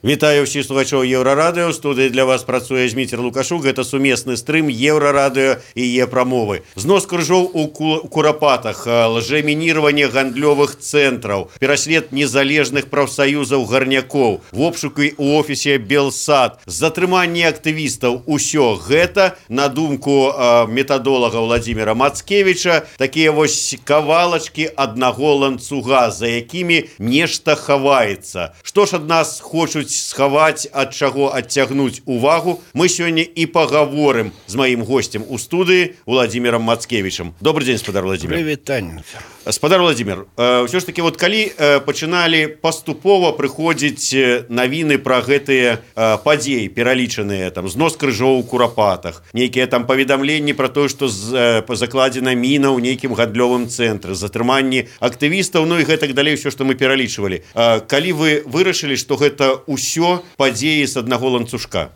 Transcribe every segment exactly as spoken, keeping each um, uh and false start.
Вітаю ўсіх слухачоў Еўрарадыё. Студыі для вас працуе Зміцер Лукашук. Гэта сумесны стрым Еўрарадыё і Е-прамовы. Знос крыжоў у Курапатах, лжэмінірванне гандлёвых цэнтраў, пераслед незалежных прафсаюзаў гарнякоў, вобшукі ў офісе Белсад, затрыманне актывістаў. Усё гэта, на думку метадолага Владзіміра Мацкевіча, такія вось кавалачкі аднаго ланцуга, за якімі нешта хаваецца. Што ж ад нас хочуць схаваць, ад чаго адцягнуць увагу, мы сёння і пагаворым з маім госцем у студыі Владзімірам Мацкевічам. Добрый дзень, спадар Владзімір. Прывітанне. Спадар Владзімір, ўсё ж такі вот калі пачыналі паступова прыходзіць навіны пра гэтыя падзеі, пералічаныя там знос крыжоў у Курапатах, нейкія там паведамленні пра тое, што закладзена міна ў нейкім гандлёвым цэнтры, затрыманні актывістаў, ну і гэтак далей, ўсё, што мы пералічвалі. Калі вы вырашылі, што гэта ўсё падзеі з аднаго ланцужка?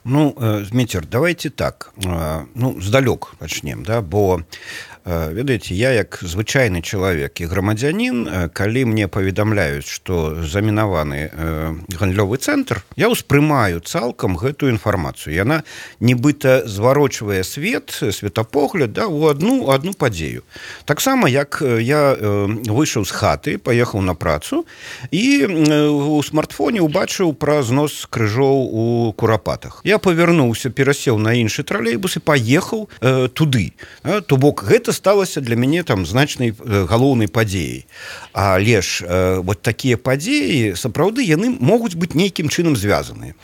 Ну, Зміцер, давайте так, ну, здалёк пачнем, да, бо ведаеце, я як звычайны чалавек і грамадзянін, калі мне паведамляюць, што замінаваны гандлёвы цэнтр, я ўспрымаю цалкам гэтую інфармацыю. Яна нібыта зварочвае свет, светапогляд, да, у адну, адну падзею. Таксама, як я выйшаў з хаты, паехаў на працу і у смартфоне убачыў пра знос крыжоў у Курапатах. Я павярнуўся, перасеў на іншы тралейбус і паехаў э, туды. То бок, гэта сталася для мяне там значнай галоўнай падзеяй. Але ж э, вот такія падзеі, сапраўды, яны могуць быць нейкім чынам звязаныя.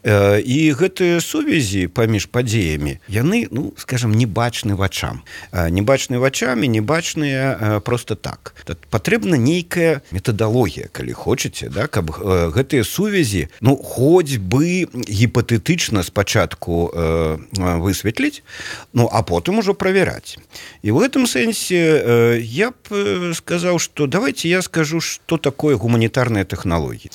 Э, і гэтыя сувязі паміж падзеямі, яны, ну, скажам, не бачны вачам. Э, не бачны вачамі, не бачныя э, просто так. Патрэбна нейкая метадалогія, калі хочаце, да, каб э, гэтыя сувязі, ну, хоць бы гіпатэтычна спачатку э, высветліць, ну, а потым ужо правяраць. І в этом сэнсе э, я б сказаў, што давайте я скажу, што такое гуманітарныя тэхналогіі.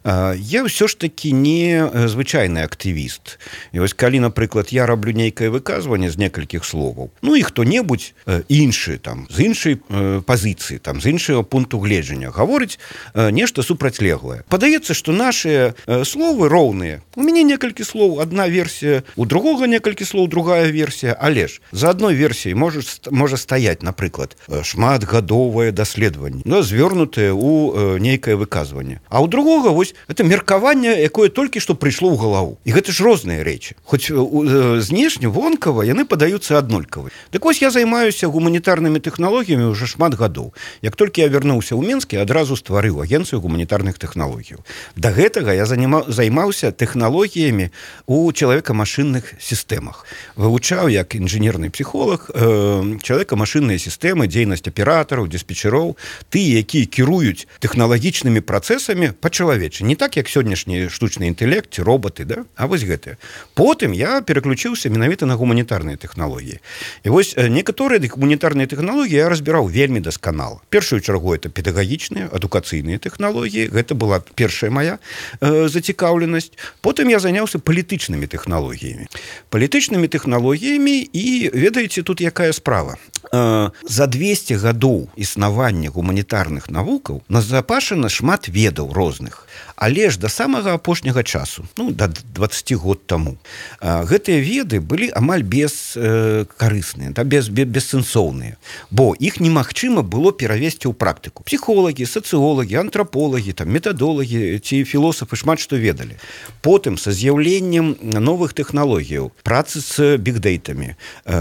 Э, я ўсё ж такі не звычайны актывіст. І вось калі, напрыклад, я раблю нейкае выказванне з некалькіх словаў, ну і хто-небудзь э, іншы, там, з іншай э, пазіцыі, там, з іншага пункту гледжання гаворыць э, нешта супрацьлеглае. Падаецца, што нашыя э, словы роўныя. У мяне некалькі слоў, адна версія, у другога некалькі слоў, другая версія, але ж за адной версіяй можа, можа стаяць, напрыклад, шматгадовае даследаванне, ну, звернутае ў э, нейкае выказванне. А ў другога, вось, это меркаванне, якое толькі што прыйшло ў галаву. І гэта ж розныя рэчы. Хоць э, э, знешне, вонкава, яны падаюцца аднолькавы. Так вось я займаюся гуманітарнымі тэхналогіямі ўжо шмат гадоў. Як толькі я вярнуўся ў Мінск, я адразу стварыў агенцыю гуманітарных тэхналогій. Да гэтага я займаўся тэхналогіямі ў чалавека-машынных сістэмах. Вывучаў як інжынерны псіхолог э, чалавека-машынныя сістэмы, дзейнасць аператараў, дыспетчароў, тыя, якія кіруюць тэхналагічнымі працэсамі па-чалавечы. Не так, як сённяшні штучны інтэлект, роботы, да? А вось гэтыя. Потым я пераключыўся менавіта на гуманітарныя тэхналогіі. І вось некаторыя гуманітарныя тэхналогіі я разбіраў вельмі дасканала. Першую чаргу это педагагічныя, адукацыйныя тэхналогіі. Гэта была першая моя э, зацікаўленасць. Потым я заняўся палітычнымі тэхналогіямі. Палітычнымі тэхналогіямі і, ведаеце, тут якая справа. За двесце гадоў існавання гуманітарных навукаў назапашана шмат ведаў розных. Але ж да самага апошняга часу, ну, да дваццаці год таму, гэтыя веды былі амаль бескарысныя, да, без, бессэнсоўныя, бо іх немагчыма было перавесці ў практыку. Псіхолагі, сацыолагі, антраполагі, там, метадолагі ці філосафы шмат што ведалі. Потым, са з'яўленнем новых тэхналогіяў, працы з бігдэйтамі,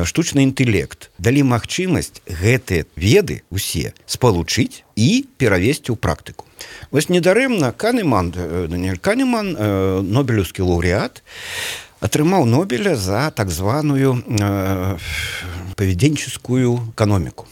штучны інтэлект далі магчымасць гэтыя веды усе спалучыць і перавесці ў практыку. Вось недарэмна Канеман, Даниэль Канеман, нобелеўскі лаўрэат, атрымаў Нобеля за так званую э, паведенческую эканоміку.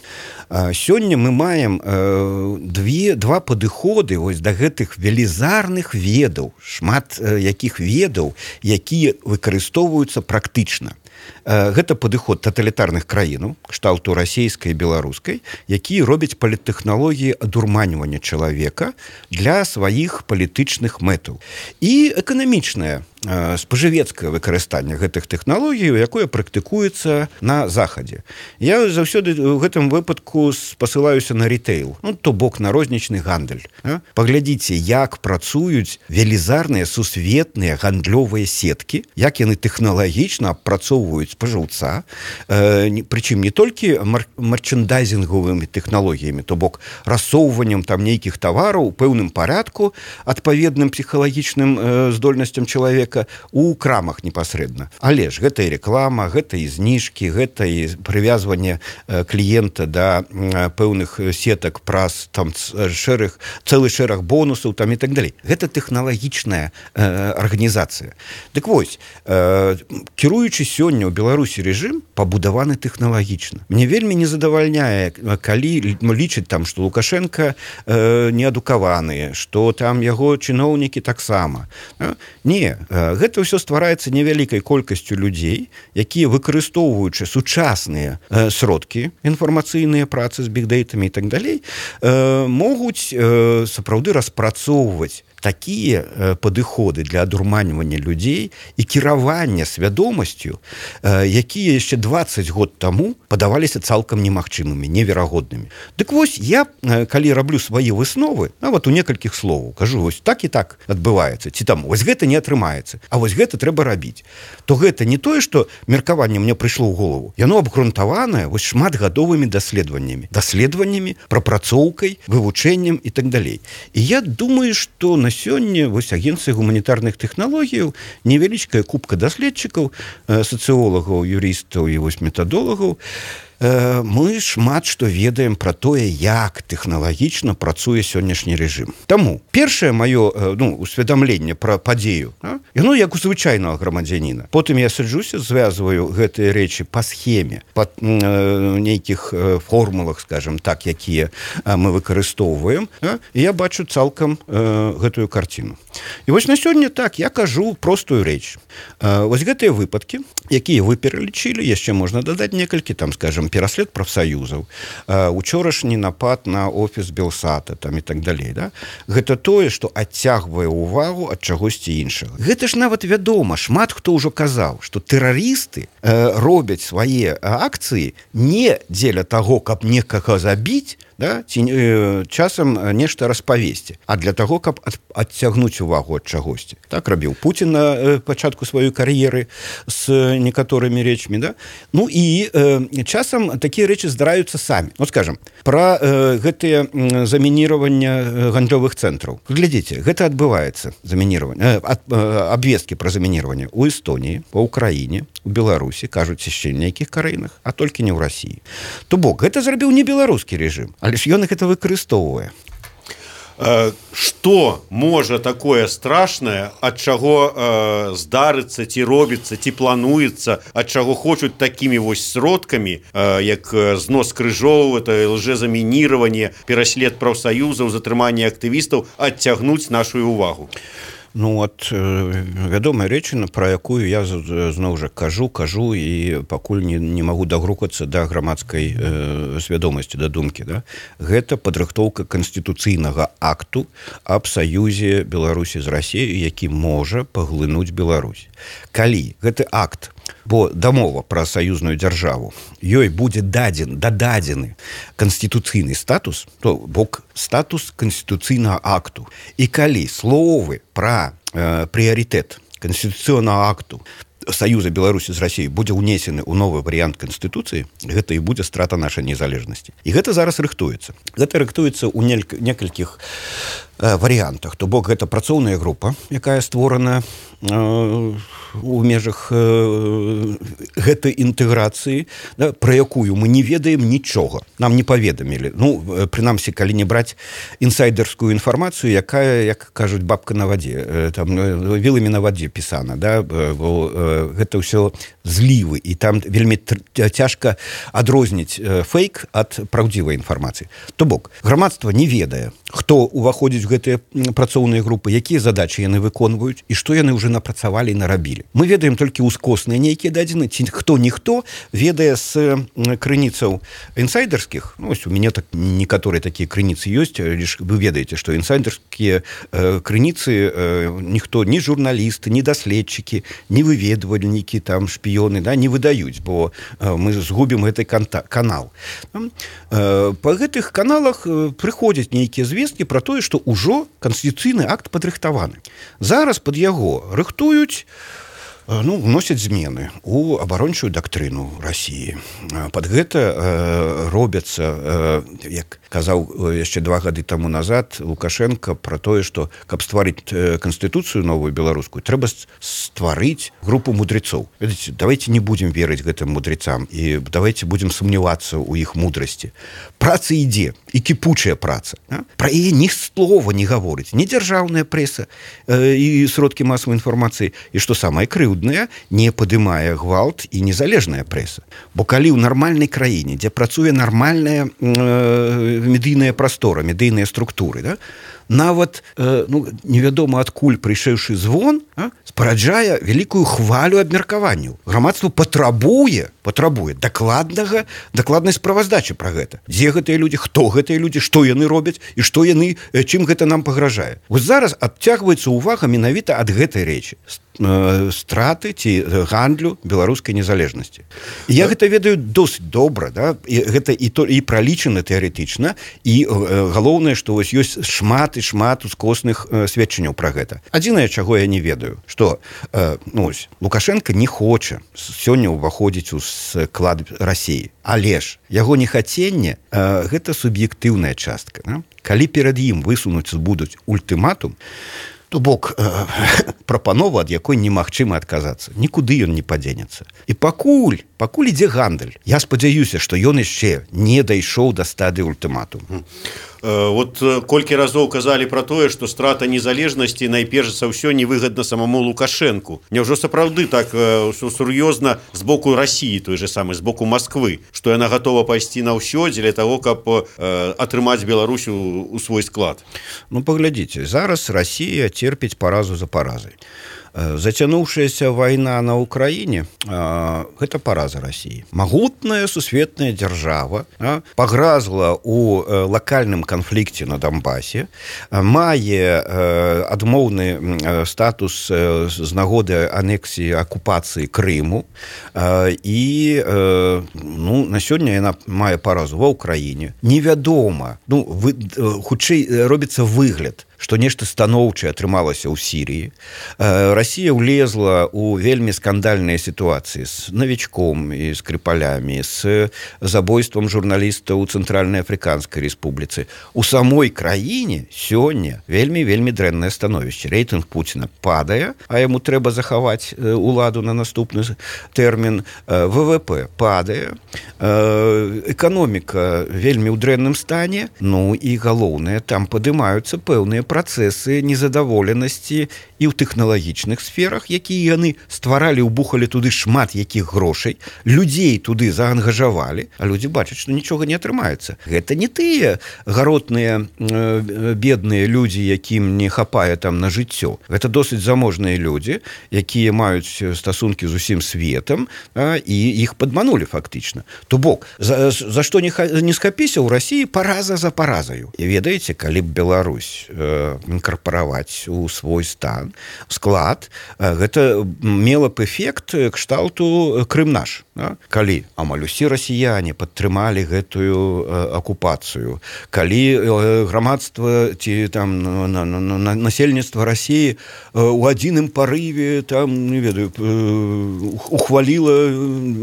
Сёння мы маем э, две, два падыходы вось да гэтых велізарных ведаў, шмат э, якіх ведаў, якія выкарыстоўваюцца практычна. Э, гэта падыход таталітарных краінаў, кшталту расійскай і беларускай, якія робяць паліттэхналогіі адурманьвання чалавека для сваіх палітычных мэтаў. І эканамічная спажывецкае выкарыстанне гэтых тэхналогій, якое практыкуецца на захадзе. Я заўсёды ў гэтым выпадку спасылаюся на ритейл, ну, то бок на рознічны гандаль. Паглядзіце, як працуюць велізарныя сусветныя гандлёвыя сеткі, як яны тэхналагічна апрацоўваюць спажыўца, прычым не толькі марчэндайзінгавымі тэхналогіямі, то бок рассоўваннем там нейкіх тавараў у пэўным парадку, адпаведным псіхалагічным здольнасцям чалавека у крамах непасрэдна. Але ж гэта і реклама, гэта і зніжкі, гэта і прывязванне кліента да пэўных сетак праз там шэраг, цэлы шэраг бонусаў там і так далей. Гэта тэхналагічная арганізацыя. Дык вось, кіруючы сёння ў Беларусі рэжым пабудаваны тэхналагічна. Мне вельмі не задавальняе, калі лічыць там, што Лукашенко неадукаваны, што там яго чыноўнікі таксама. Не, гэта ўсё ствараецца невялікай колькасцю людзей, якія, выкарыстоўваючы сучасныя сродкі, інфармацыйныя працы з бігдэйтамі і так далей, могуць сапраўды распрацоўваць такія падыходы для адурманьвання людзей і кіравання свядомасцю, якія яшчэ дваццаць год таму падаваліся цалкам немагчымымі, неверагоднымі. Дык вось, я, калі раблю свае высновы, нават у некалькіх словаў, кажу, вось так і так адбываецца, ці там, вось гэта не атрымаецца, а вось гэта трэба рабіць. То гэта не тое, што меркаванне мне прыйшло ў голову, яно абгрунтаванае вось шматгадовымі даследаваннямі, даследаваннямі, прапрацоўкай, вывучэннем і так далей. І я думаю, што на сёння вось агенцыя гуманітарных тэхналогіяў, невялічкая купка даследчыкаў, сацыолагаў, юрыстаў і вось метадолагаў, мы шмат што ведаем пра тое, як тэхналагічна працуе сённяшні рэжым. Таму першае маё, ну, усведамленне пра падзею, яно як у звычайнага грамадзяніна. Потым я саджуся, звязваю гэтыя рэчы па схеме, па нейкіх формулах, скажем так, якія мы выкарыстоўваем, і я бачу цалкам гэтую карціну. І вось на сёння так, я кажу простую рэч. Вось гэтыя выпадкі, якія вы пералічылі, яшчэ можна дадаць некалькі, там, скажем, пераслед прафсаюзаў, учорашні напад на офіс Белсата там і так далей, да? Гэта тое, што адцягвае ўвагу ад чагосьці іншага. Гэта ж нават вядома, шмат хто ўжо казаў, што тэрарысты э, робяць свае акцыі не дзеля таго, каб некага забіць, да, ці э, часам нешта распавесці, а для таго, каб ад, адцягнуць увагу ад чагосьці. Так рабіў Пуцін на э, пачатку сваёй кар'еры з некаторымі рэчмі, да? Ну і э, часам такія рэчы здараюцца самі. Ну, скажем, пра э, гэтыя замінировання гандлёвых цэнтраў. Глядзіце, гэта адбываецца, замінирование, э, ад, э, абвесткі пра замінирование у Эстоніі, па Украіне, у Беларусі, кажуць яшчэ нейкіх краінах, а толькі не ў Расіі. То бок, гэта зрабіў не беларускі рэжым, але ж ён гэта выкарыстоўвае. Што можа такое страшнае, ад чаго э, здарыцца, ці робіцца, ці плануецца, ад чаго хочуць такімі вось сродкамі, э, як знос крыжоў, это лжэзамінирование, пераслед прафсаюзаў, затрыманне актывістаў, адцягнуць нашу увагу? Ну, от вядомая рэчына, пра якую я зноў жа кажу, кажу і пакуль не, не магу дагрукацца да грамадскай э, свядомасці, да думкі. Да? Гэта падрыхтоўка канстытуцыйнага акту аб саюзе Беларусі з Расіяй, які можа паглынуць Беларусь. Калі гэты акт, бо дамова пра саюзную дзяржаву, ёй будзе дадзен, дададзены канстытуцыйны статус, то бок статус канстытуцыйнага акту. І калі словы пра э, прыярытэт канстытуцыйнага акту Саюза Беларусі з Расіяй будзе ўнесены ў новы варыянт Канстытуцыі, гэта і будзе страта нашай незалежнасці. І гэта зараз рыхтуецца. Гэта рыхтуецца ў некалькіх э, варыянтах. То бок гэта працоўная група, якая створана э, у межах э, гэтай інтэграцыі, да, пра якую мы не ведаем нічога. Нам не паведамілі. Ну, прынамсі, калі не браць інсайдерскую інфармацыю, якая, як кажуць, бабка на вадзе, э, там, віламі на вадзе пісана, да, бо э, гэта ўсё злівы, і там вельмі цяжка адрозніць фейк ад праўдзівай інфармацыі. То бок, грамадства не ведае, хто ўваходзіць у гэтыя працоўныя групы, якія задачы яны выконваюць і што яны ўжо напрацавалі і нарабілі. зрабілі. Мы ведаем толькі ускосныя нейкія дадзены, ці хто-ніхто ведае з крыніцаў інсайдерскіх. Ну, ось у мяне так некаторыя такія крыніцы ёсць, лишь вы ведаеце, што інсайдерскія э, крыніцы э, ніхто, ні журналісты, ні даследчыкі, ні выведвальнікі, там шпіёны, да, не выдаюць, бо э, мы згубім гэты канал. Э, па гэтых каналах э, прыходзяць нейкія звесткі пра тое, што ўжо канстытуцыйны акт падрыхтаваны. Зараз пад яго рыхтуюць, ну, вносяць змены у абарончую дактрыну Расіі. Пад гэта э, робяцца, э, як казаў яшчэ два гады таму назад Лукашенко пра тое, што каб стварыць канстытуцыю новую беларускую, трэба стварыць групу мудрецоў. Ведаеце, давайте не будзем верыць гэтым мудрецам і давайте будзем сумнявацца ў іх мудрасці. Праца ідзе, і кіпучая праца. А? Пра яе ні слова не гаворыць, ні дзяржаўная прэса э, і сродкі масавай інфармацыі, і што самае крыўднае, не падымае гвалт і незалежная прэса. Бо калі ў нармальнай краіне, дзе працуе нармальная э, медыйная прастора, медыйныя структуры, да, нават э, ну, невядома адкуль прыйшэўшы звон, а, спараджае вялікую хвалю абмеркаванняў. Грамадства патрабуе, патрабуе дакладнага, дакладнай справаздачы пра гэта. Дзе гэтыя людзі, хто гэтыя людзі, што яны робяць і што яны, чым гэта нам пагражае. Вось зараз адцягваецца ўвага менавіта ад гэтай рэчы. Страты ці гандлю беларускай незалежнасці. Я гэта ведаю досыць добра, да? І гэта і то і пралічана тэарэтычна, і э, галоўнае, што вось ёсць шмат і шмат ускосных э, сведчанняў пра гэта. Адзінае, чаго я не ведаю, што э, ну, ось, Лукашенко не хоча сёння ўваходзіць у склад Расіі, але ж яго нехаценне э, гэта суб'ектыўная частка. Да? Калі перад ім высунуць будуць ультыматум, то бок э, прапанова, ад якой немагчыма адказацца. Нікуды ён не падзенецца. І пакуль, пакуль ідзе гандаль, я спадзяюся, што ён яшчэ не дайшоў да стадыі ультыматуму. Вот колькі разоў казалі пра тое, што страта незалежнасці найперш за ўсё невыгадна самому Лукашэнку. Няўжо сапраўды так сур'ёзна з боку Расіі, той же самы, з боку Масквы, што яна гатова пайсці на ўсё дзеля таго, каб атрымаць Беларусь у свой склад? Ну, паглядзіце, зараз Расія церпіць паразу за паразай. Зацянуўшаяся вайна на ўкраіне – гэта параза Расіі. Магутная сусветная дзяржава пагразла ў лакальным канфлікце на Донбасе, мае адмоўны статус з нагоды анексіі акупацыі Крыму і ну, на сёння яна мае паразу ва ўкраіне. Невядома, ну, вы, хутчэй робіцца выгляд, што нешта станоўчае атрымалася ў Сірыі. Расія ўлезла ў вельмі скандальныя сітуацыі з навічком і скрыпалямі, з забойствам журналістаў у Цэнтральнай Афрыканскай Рэспубліцы. У самой краіне сёння вельмі-вельмі дрэннае становішча. Рэйтынг Пуціна падае, а яму трэба захаваць уладу на наступны тэрмін. ВВП падае, эканоміка вельмі ў дрэнным стане, ну і галоўнае, там падымаюцца пэўныя працэсы незадаволенасці і ў тэхналагічных сферах, якія яны стваралі, убухалі туды шмат якіх грошай, людзей туды заангажавалі, а людзі бачаць, што нічога не атрымаецца. Гэта не тыя гаротныя э, бедныя людзі, якім не хапае там на жыццё. Гэта досыць заможныя людзі, якія маюць стасункі з усім светам, а, і іх падманулі фактычна. То бок, за, за што не, не схапіся ў Расіі параза за паразаю. І ведаеце, калі б Беларусь э, інкарпараваць у свой стан, склад, гэта мела б эфект кшталту Крым наш. Да? Калі амаль усе расіяне падтрымалі гэтую акупацыю, калі грамадства ці там на, на, на, насельніцтва Расіі у адзіным парыве там, не ведаю, ухваліла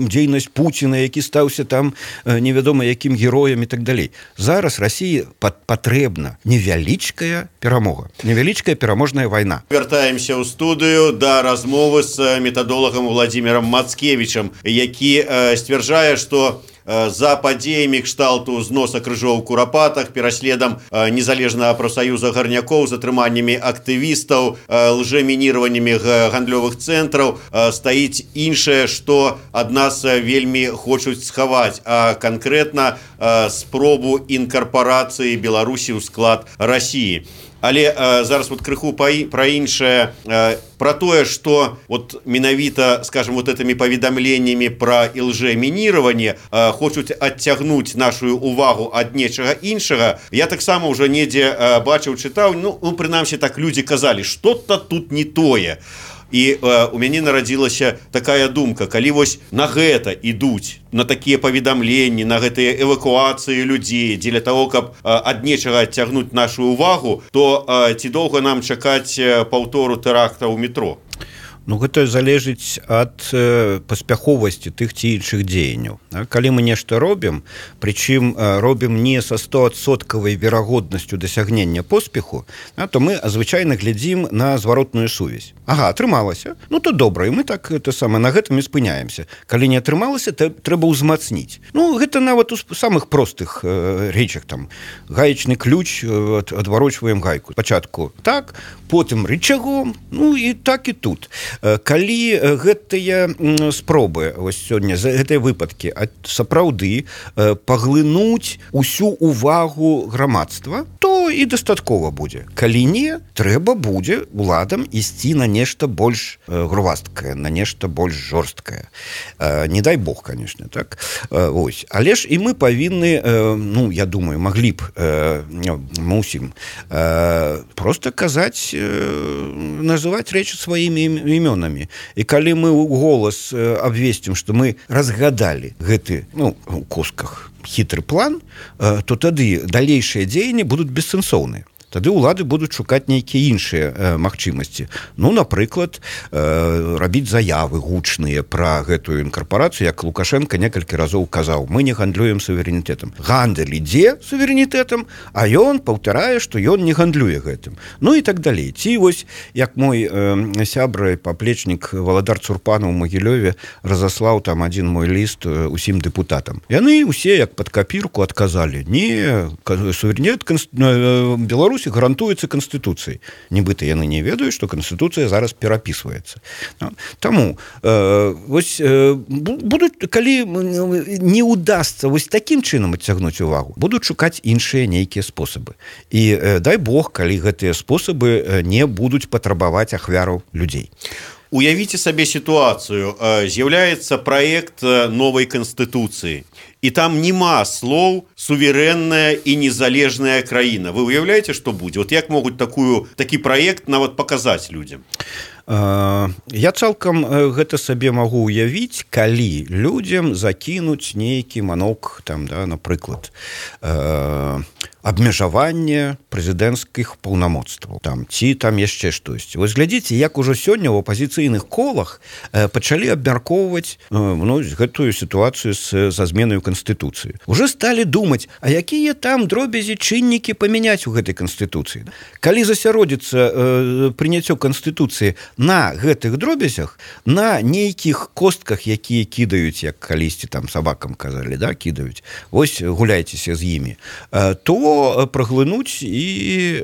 дзейнасць Пуціна, які стаўся там невядома якім героем і так далей. Зараз Расіі патрэбна невялічкая перамога. Невялічкая пераможная вайна. Вяртаемся ў студыю да размовы з метадолагам Владзімірам Мацкевічам, які э, сцвярджае, што э, за падзеямі кшталту зноса крыжоў у Курапатах, пераследам э, незалежнага прафсаюза гарнякоў, затрыманнямі актывістаў, э, лжэмініраваннямі гандлёвых цэнтраў э, стаіць іншае, што ад нас вельмі хочуць схаваць, а канкрэтна э, спробу інкарпарацыі Беларусі ў склад Расіі. але э, зараз вот крыху про іншае, э, про тое, что вот менавіта, скажем, вот этими паведамленнями про лжемінирование э, хочуць адцягнуць нашу увагу ад нечага іншага. Я таксама уже недзе э, бачыў, чытаў, ну, ну прынамсі так люди казалі, что-то тут не тое. І э, у мяне нарадзілася такая думка, калі вось на гэта ідуць, на такія паведамленні, на гэтыя эвакуацыі людзей дзеля того, каб э, ад нечага адцягнуць нашу увагу, то э, ці доўга нам чакаць паўтору тэракта ў метро? Ну, гэта залежыць ад э, паспяховасці тых ці іншых дзеянняў. Калі мы нешта робім, прычым э, робім не са стоадсоткавай верагоднасцю дасягнення поспеху, а, то мы звычайна глядзім на зваротную сувязь. Ага, атрымалася. Ну, то добра, і мы так это самае на гэтым і спыняемся. Калі не атрымалася, то трэба ўзмацніць. Ну, гэта нават у самых простых э, рэчах, там, гаечны ключ, э, адварочваем гайку. Спачатку так, потым рычагом, ну, і так і тут. Калі гэтыя спробы вось сёння за гэтыя выпадкі сапраўды паглынуць усю увагу грамадства, то і дастаткова будзе. Калі не, трэба будзе уладам ісці на нешта больш грувасткае, на нешта больш жорсткае. Не дай бог, конечно, так. Ось. Але ж і мы павінны, ну, я думаю, маглі б, мусім просто казаць, называць рэчы сваімі імёнамі. І калі мы ў голас абвесцім, што мы разгадалі гэты, ну, у кусках хітры план, то тады далейшыя дзеянні будуць бессэнсоўныя. Тады ўлады будуць шукаць нейкія іншыя э, магчымасці. Ну, напрыклад, э, рабіць заявы гучныя пра гэтую інкарпарацыю, як Лукашенко некалькі разоў казаў, мы не гандлюем суверэнітэтам. Гандаль ідзе суверэнітэтам, а ён паўтарае, што ён не гандлюе гэтым. Ну і так далей. Ці вось, як мой э, сябра і паплечнік Валадар Цурпанаў у Магілёве разаслаў там адзін мой ліст э, усім дэпутатам. Яны ўсе, як пад капірку, адказалі, не, суверэнітэт конст... э, Беларусь гарантуецца Канстытуцыяй. Нібыта яны не ведаюць, што Канстытуцыя зараз перапісваецца. Таму э, вось, э, будуць, калі не ўдасца вось такім чынам адцягнуць увагу, будуць шукаць іншыя нейкія спосабы. І э, дай Бог, калі гэтыя спосабы не будуць патрабаваць ахвяраў людзей. Уявіце сабе сітуацыю. З'яўляецца праект новай Канстытуцыі. І там нема слоў суверэнная і незалежная краіна. Вы уяўляеце, што будзе? Вот як могуць такую, такі праект нават паказаць людзям? Я цалкам гэта сабе магу уявіць, калі людзям закінуць нейкі манок, там, да, напрыклад, э, абмежаванне прэзідэнцкіх паўнамоцтваў, там, ці там яшчэ штосьці. Вось глядзіце, як ужо сёння ў апазіцыйных колах э, пачалі абмяркоўваць э, ну, гэтую сітуацыю з, са зменаю Канстытуцыі. Уже сталі думаць, а якія там дробязі чыннікі памяняць у гэтай Канстытуцыі. Калі засяродзіцца э, прыняццё Канстытуцыі на гэтых дробязях, на нейкіх костках, якія кідаюць, як калісьці там сабакам казалі, да, кідаюць, вось гуляйцеся з імі, то праглынуць і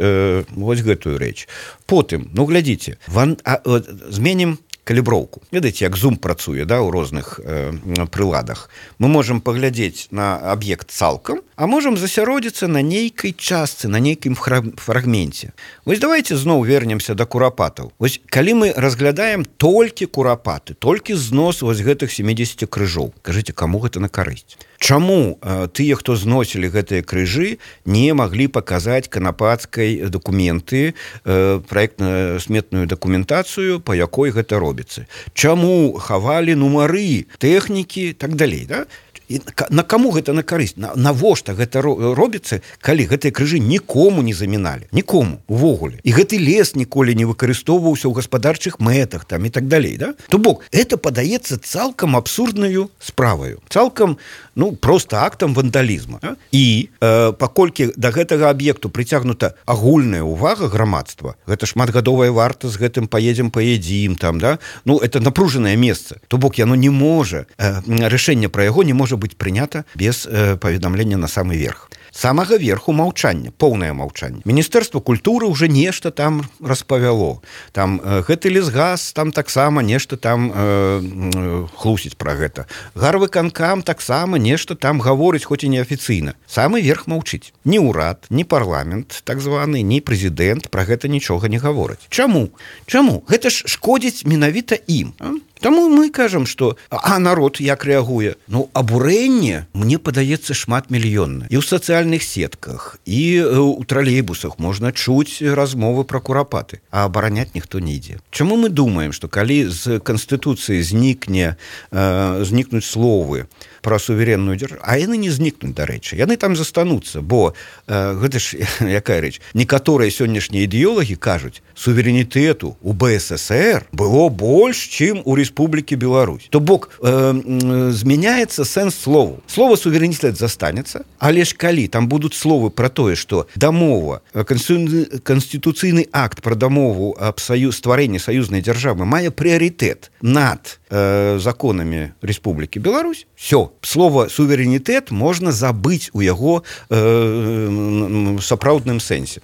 э, вось гэтую рэч. Потым, ну, глядзіце, ван, а, а, зменім каліброўку. Ведаеце, як зум працуе, да, у розных э, прыладах. Мы можам паглядзець на аб'ект цалкам, а можам засяродзіцца на нейкай частцы, на нейкім фрагменце. Вось давайте зноў вернемся да курапатаў. Вось калі мы разглядаем толькі курапаты, толькі знос вось гэтых сямідзесят крыжоў, кажыце, каму гэта на карысць? Чаму э, тыя, хто зносілі гэтыя крыжы, не маглі паказаць канапацкай дакументы, э, праектна-сметную дакументацыю, па якой гэта робіцца? Чаму хавалі нумары, тэхнікі, так далей, да? І на каму гэта на карысць? Навошта гэта робіцца, калі гэтыя крыжы нікому не заміналі? Нікому, увогуле. І гэты лес ніколі не выкарыстоўваўся ў гаспадарчых мэтах, там, і так далей, да? То бок, это падаецца цалкам абсурднаю справаю. Цалкам, ну, проста актам вандалізма. Да? І э, паколькі да гэтага аб'екту прыцягнута агульная ўвага грамадства, гэта шматгадовая варта, з гэтым паедзем, паедзім, там, да? Ну, это напружанае месца. То бок, яно не можа, э, рашэнне пра яго не можа быць прынята без э, паведамлення на самы верх. самага верху маўчання, поўнае маўчанне. Міністэрства культуры уже нешта там распавяло. Там э, гэты лесгас там таксама нешта там э, хлусіць пра гэта. Гарвыканкам таксама нешта там гаворыць, хоць і неафіцыйна. Самы верх маўчыць. Ні ўрад, ні парламент так званы, ні прэзідэнт пра гэта нічога не гавораць. Чаму? Чаму? Гэта ж шкодзіць менавіта ім. А? Таму мы кажам, што а народ як рэагуе? Ну, абурэнне, мне падаецца, шматмільённа. І ў сацыяльных сетках, і ў тралейбусах можна чуць размовы пра курапаты, а абараняць ніхто не ідзе. Чаму мы думаем, што калі з Канстытуцыі знікне, э, знікнуць словы пра суверенную дзяржаву, а яны не знікнуць, дарэчы, яны там застануцца, бо э, гэта ж якая рэч, некаторыя сённяшнія ідэолагі кажуць, суверэнітэту у бэ эс эсэр было больш, чым у Рэспублікі Беларусь. То бок э, э, змяняецца сэнс слову. Слова суверэнітэт застанецца, але ж калі там будуць словы пра тое, што дамова, канстытуцыйны акт пра дамову аб саюз, стварэнні саюзнай дзяржавы мае прыярытэт над э, законамі Рэспублікі Беларусь, всё, слово суверэнітэт можна забыць у яго э, сапраўдным сэнсе.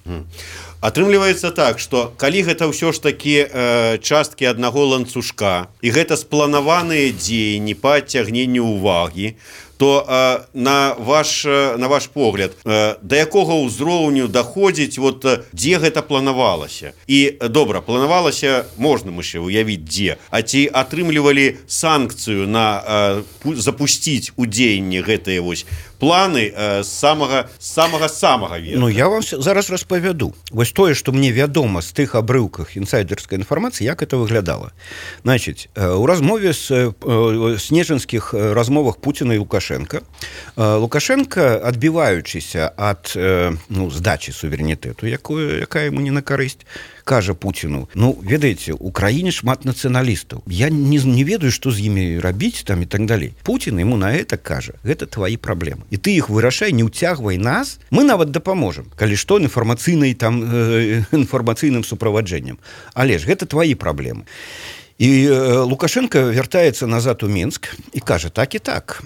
Атрымліваецца так, што калі гэта ўсё ж такі э, часткі аднаго ланцужка і гэта спланаваныя дзеянні па адцягненню ўвагі, то э, на ваш на ваш погляд э, да якога ўзроўню даходзіць, вот дзе гэта планавалася? І добра, планавалася, можна мы ще уявіць дзе, а ці атрымлівалі санкцыю на э, запусціць у дзеянні гэтыя вось планы э, самага самага самага верха? Ну, я вам зараз распавяду. Вось тое, што мне вядома з тых абрыўках інсайдерскай інфармацыі, як это выглядала. Значыць, у размове з э, снежанскіх размовах Пуціна і Лукашенка Лукашенко, адбіваючыся ад ну, здачі суверэнітэту, якую, якая яму не на карысць, кажа Пуціну, ну, ведаеце, у краіне шмат нацыяналістаў. Я не, не ведаю, што з імі рабіць там і так далей. Пуцін яму на гэта кажа, гэта твои праблемы. І ты іх вырашай, не ўцягвай нас, мы нават дапаможам, калі што, інфармацыйнай там э, інфармацыйным суправаджэннем. Але ж гэта твои праблемы. І Лукашенко вяртаецца назад у Мінск і кажа, так і так,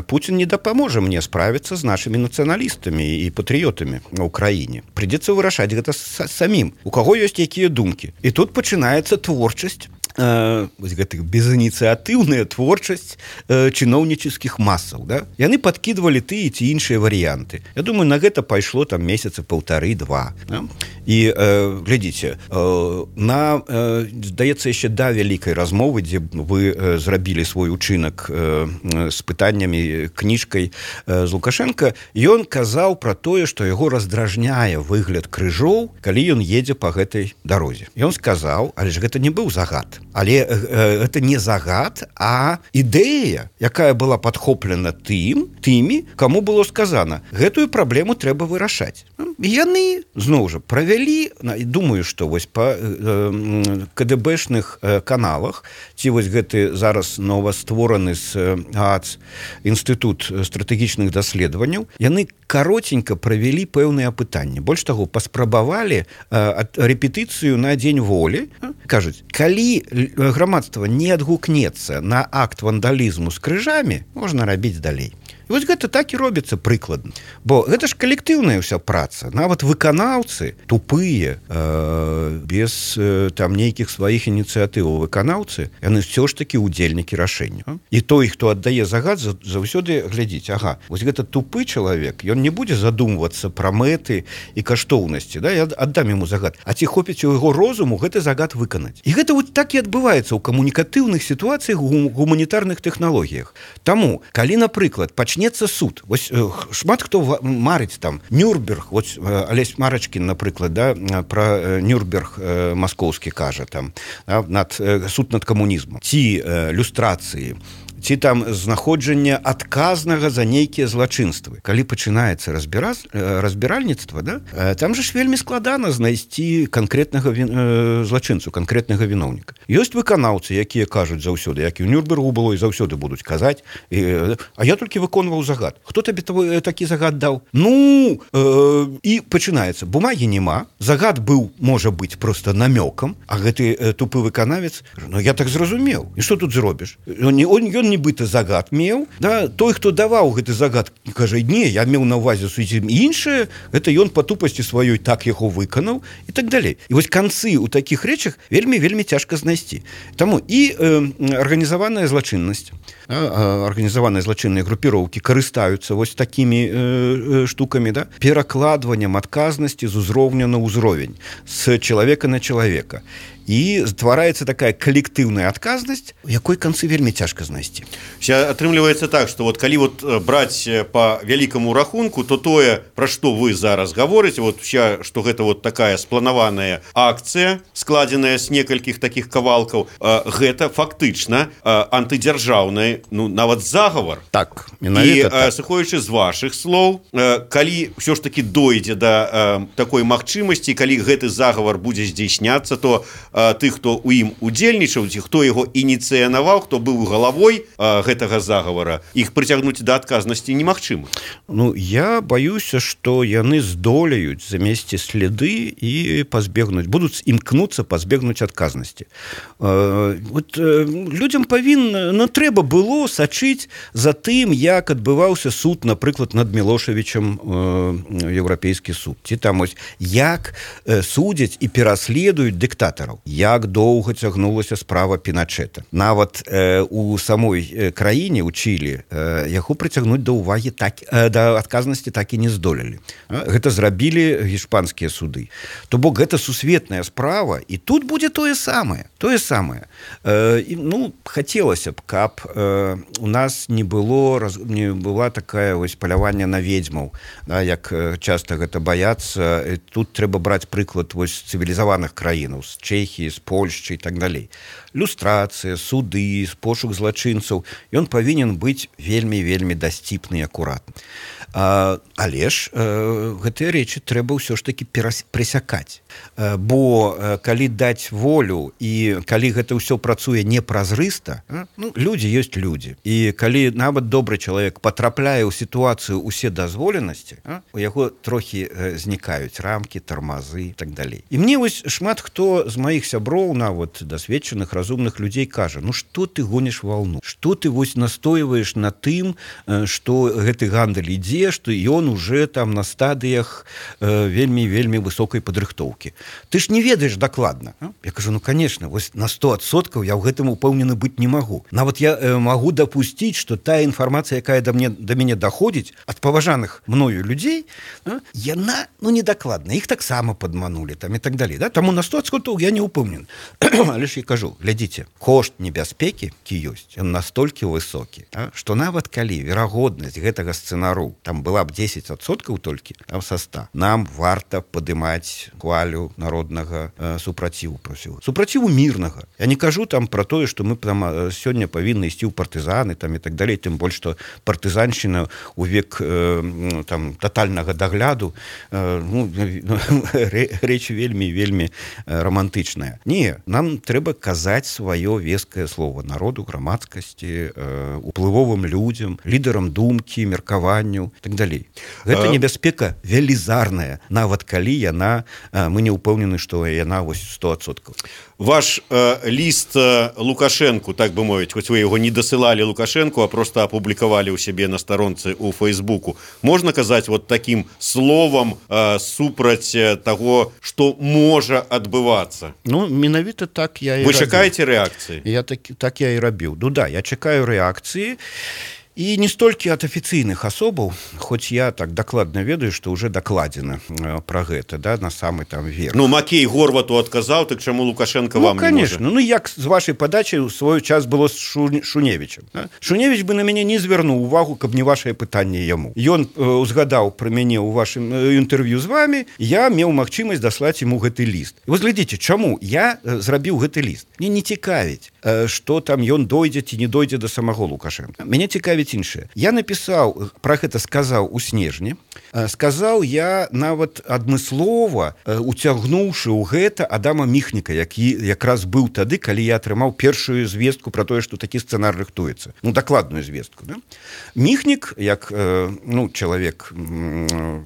Пуцін не дапаможа мне справіцца з нашымі нацыяналістамі і патрыётамі ў краіне. Прыйдзецца вырашаць гэта самім, у каго ёсць якія думкі. І тут пачынаецца творчасць, э, гэтых безініцыятыўная творчасць э, чыноўнічыцкіх масаў. Да? Яны падкідвалі тыя ці іншыя варыянты. Я думаю, на гэта пайшло там месяца паўтары-два. Да? І э, глядзіце, э, на, э, здаецца, яшчэ да вялікай размовы, дзе вы э, зрабілі свой учынак э, з пытаннямі, кніжкай э, з Лукашенко, ён казаў пра тое, што яго раздражняе выгляд крыжоў, калі ён едзе па гэтай дарозе. Ён сказаў, але ж гэта не быў загад. Але э, гэта не загад, а ідэя, якая была падхоплена тым, тымі, каму было сказана, гэтую праблему трэба вырашаць. Яны, зноў жа, правялі, думаю, што вось па э, КДБшных э, каналах, ці вось гэты зараз новаствораны з ААЦ інстытут стратэгічных даследаванняў, яны каротенька правялі пэўныя пытанні. Больш таго, паспрабавалі э, рэпетыцыю на дзень волі. Кажуць, калі грамадства не адгукнецца на акт вандалізму з крыжамі, можна рабіць далей. І вось гэта так і робіцца прыкладна. Бо гэта ж калектыўная ўся праца. Нават выканаўцы, тупыя, э, без э, там нейкіх сваіх ініцыятываў выканаўцы, яны ўсё ж такі ўдзельнікі рашэння. І той, хто аддае загад, заўсёды глядзіць, ага, вось гэта тупы чалавек, ён не будзе задумвацца пра мэты і каштоўнасці, да? Я аддам яму загад. А ці хопіць у яго розуму гэты загад выканаць. І гэта вот так і адбываецца ў камунікатыўных сітуацыях, у гуманітарных тэхналогіях. Таму, калі, напрыклад, пачнецца суд. Вось э, шмат хто марыць там Нюрнберг, вось э, Алесь Марачкін, напрыклад, да, пра э, Нюрнберг э, маскоўскі кажа там, да, над, э, суд над камунізмам, ці э, люстрацыі, ці там знаходжання адказнага за нейкія злачынствы. Калі пачынаецца разбіра... разбіральніцтва, да, там жа ж вельмі складана знайсці канкрэтнага він... злачынцу, канкрэтнага віноўніка. Ёсць выканаўцы, якія кажуць заўсёды, як і ў Нюрнбергу было, і заўсёды будуць казаць, і... а я толькі выконваў загад. Хто табе такі загад даў? Ну, э... і пачынаецца. Бумагі няма, загад быў, можа быць, проста намёкам, а гэты э, тупы выканавец, ну, я так зразумеў. І што тут зробіш? Ён, ён нібыта загад меў, да, той, хто даваў гэты загад, кажа, не, я меў на увазе зусім іншае, гэта ён па тупасці сваёй так яго выканаў і так далей. І вось канцы ў такіх рэчах вельмі вельмі цяжка знайсці. Таму і э, арганізаваная злачыннасць, а, арганізаваныя злачынныя групіроўкі карыстаюцца вось такімі э, э, штукамі, да, перакладваннем адказнасці з узроўня на ўзровень, з чалавека на чалавека. І ствараецца такая калектыўная адказнасць, у якой канцы вельмі цяжка знайсці. Атрымліваецца так, што вот калі вот браць по вялікаму рахунку, то тое, пра што вы зараз гаворыце, вот вся, што гэта вот такая спланаваная акцыя, складзеная з некалькіх такіх кавалкаў, гэта фактычна антыдзяржаўны, ну нават загавар. Так, і так. Сыходзячы з вашых слоў, калі ўсё ж таки дойдзе да такой магчымасці, калі гэты загавар будзе здзейсняцца, то тых, хто ў ім удзельнічаў, ці хто яго ініцыянаваў, хто быў галавой а, гэтага загавара, іх прыцягнуць да адказнасці немагчыма. Ну, я баюся, што яны здолеюць замесці следы і пазбегнуць, будуць імкнуцца пазбегнуць адказнасці. Э, вот, э, людзям павінна, ну, трэба было сачыць за тым, як адбываўся суд, напрыклад, над Мілошавічам, э, еўрапейскі суд. Ці там ось, як э, судзяць і пераследуюць дыктатараў. Як доўга цягнулася справа Піначэта. Нават э, у самой э, краіне, у Чылі, э, яго прыцягнуць да ўвагі так, э, да адказнасці так і не здолелі. А, гэта зрабілі іспанскія суды. То бок гэта сусветная справа, і тут будзе тое самае. Тое самае. Э, і, ну, хацелася б, каб э, у нас не было, раз, не была такая вось паляванне на ведзьмаў, да, як э, часта гэта баяцца. І тут трэба браць прыклад вось цывілізаваных краінаў, з Чэхіі, з Польшчы і так далей. Люстрацыя, суды, пошук злачынцаў, ён павінен быць вельмі-вельмі дасціпны і акуратны. А, але ж э, гэтыя рэчы трэба ўсё ж такі пресякаць. Э, бо э, калі даць волю і калі гэта ўсё працуе непразрыста, э, ну, людзі ёсць людзі. І калі нават добры чалавек патрапляе ў сітуацыю усе дазволенасці, э, у яго трохі э, знікаюць рамкі, тармазы і так далей. І мне вось шмат хто з маіх сяброў, нават дасведчаных, разумных людзей кажа, ну што ты гоніш валну? Што ты вось настойваеш на тым, э, што гэты гандаль ідзе, што ён уже там на стадыях э, вельмі-вельмі высокай падрыхтоўкі. Ты ж не ведаеш дакладна. А? Я кажу, ну, конечно, вось на сто адсоткаў я ў гэтым упэўнены быць не магу. Нават я э, магу дапусціць, што тая інфармацыя, якая да, мне, да мяне даходзіць ад паважаных мною людзей, а, яна, ну, недакладна. Іх таксама падманулі там і так далей. Да? Таму на сто адсоткаў я не упэўнен. Але ж я кажу, глядзіце, кошт небяспекі, які ёсць, ён настолькі высокі, а, што нават калі верагоднасць гэтага сцэнару там была б дзесяць адсоткаў толькі, там са ста, нам варта падымаць хвалю народнага э, супраціву просіў. Супраціву мірнага. Я не кажу там пра тое, што мы там сёння павінны ісці ў партызаны там і так далей, тым больш, што партызаншчына ў век э, там татальнага дагляду э, ну, рэч вельмі вельмі романтычная. Не, нам трэба казаць сваё вескае слово народу, грамадскасці, э, уплывовым людзям, лідарам думкі, меркаванню і так далей. Гэта небяспека велізарная, нават калі яна, мы не ўпэўнены, што яна вось сто адсоткаў. Ваш э, ліст э, Лукашэнку, так бы мовіць, хоць вы яго не дасылалі Лукашэнку, а просто апублікавалі ў сябе на старонцы ў Фейсбуку. Можна казаць вот такім словам э, супраць таго, што можа адбывацца? Ну, менавіта так я і Вы рабіў. чакаеце рэакцыі? Я так, так я і рабіў. Ну да, я чакаю рэакцыі. І не столькі ад афіцыйных асобаў, хоць я так дакладна ведаю, што ўжо дакладзена э, пра гэта, да, на самы там верх. Ну, Макей Горвату адказаў, так чаму Лукашенко вам ну, конечно. не можа? Ну, як з вашай падачай у свой час было з Шу... Шуневічем. Да? Шуневіч бы на мяне не звярнуў увагу, каб не вашае пытанне яму. Ён э, узгадаў пра мяне ў вашым э, інтэрв'ю з вами, я меў магчымасць даслаць яму гэты ліст. І вось глядзіце, чаму я э, зрабіў гэты ліст? Мне не цікавіць, э, што там ён дойдзе ці не дойдзе да самого Лукашенка. Мяне цікавіць ставіць іншае. Я напісаў, пра гэта сказаў у снежні, сказаў я нават адмыслова, уцягнуўшы ў гэта Адама Міхніка, які якраз быў тады, калі я атрымаў першую звестку пра тое, што такі сцэнар рыхтуецца. Ну, дакладную звестку. Да? Міхнік, як ну, чалавек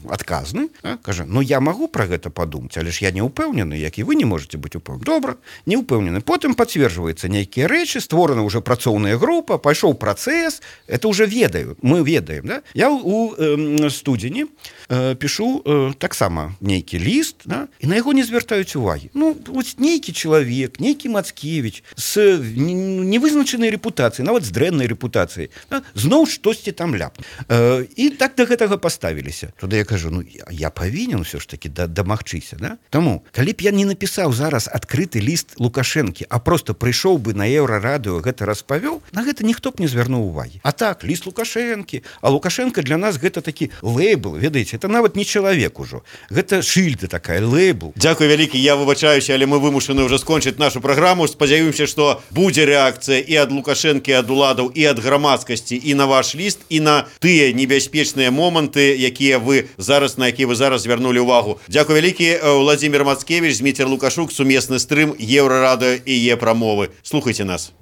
адказны, да, кажа, ну я магу пра гэта падумаць, але ж я не ўпэўнены, як і вы не можете быць упэўнены. Добра, не ўпэўнены. Потым пацверджваецца нейкія рэчы, створана ўжо працоўная група, пайшоў працэс, это уже ведаю, мы ведаем. Да? Я у э, студзені э, пішу э, таксама нейкі ліст, да? І на яго не звяртаюць увагі. Ну, вось нейкі чалавек, нейкі Мацкевіч з невызначанай рэпутацыяй, нават з дрэннай рэпутацыяй, да? Зноў штосьці там ляп. Э, і так да гэтага паставіліся. Туды я кажу, ну я, я павінен ўсё ж таки да, дамагчыся. Да? Таму, калі б я не напісаў зараз адкрыты ліст Лукашэнкі, а просто прыйшоў бы на Еўрарадыё, гэта распавёў, на гэта ніхто б не звярнуў увагі. А так, ліст Лукашэнкі, а Лукашенко для нас гэта такі лейбл, ведаеце, это нават не чалавек ужо. Гэта шыльда такая, лейбл. Дзякуй вялікі, я выбачаюся, але мы вымушаны ўжо скончыць нашу праграму. Спадзяюся, што будзе рэакцыя і ад Лукашэнкі, і ад уладаў, і ад грамадскасці, і на ваш ліст, і на тыя небяспечныя моманты, якія вы зараз, на якія вы зараз звярнулі ўвагу. Дзякуй вялікі, Владзімір Мацкевіч, Зміцер Лукашук, сумесны стрым Еўрарадыё і Е-прамовы. Слухайце нас.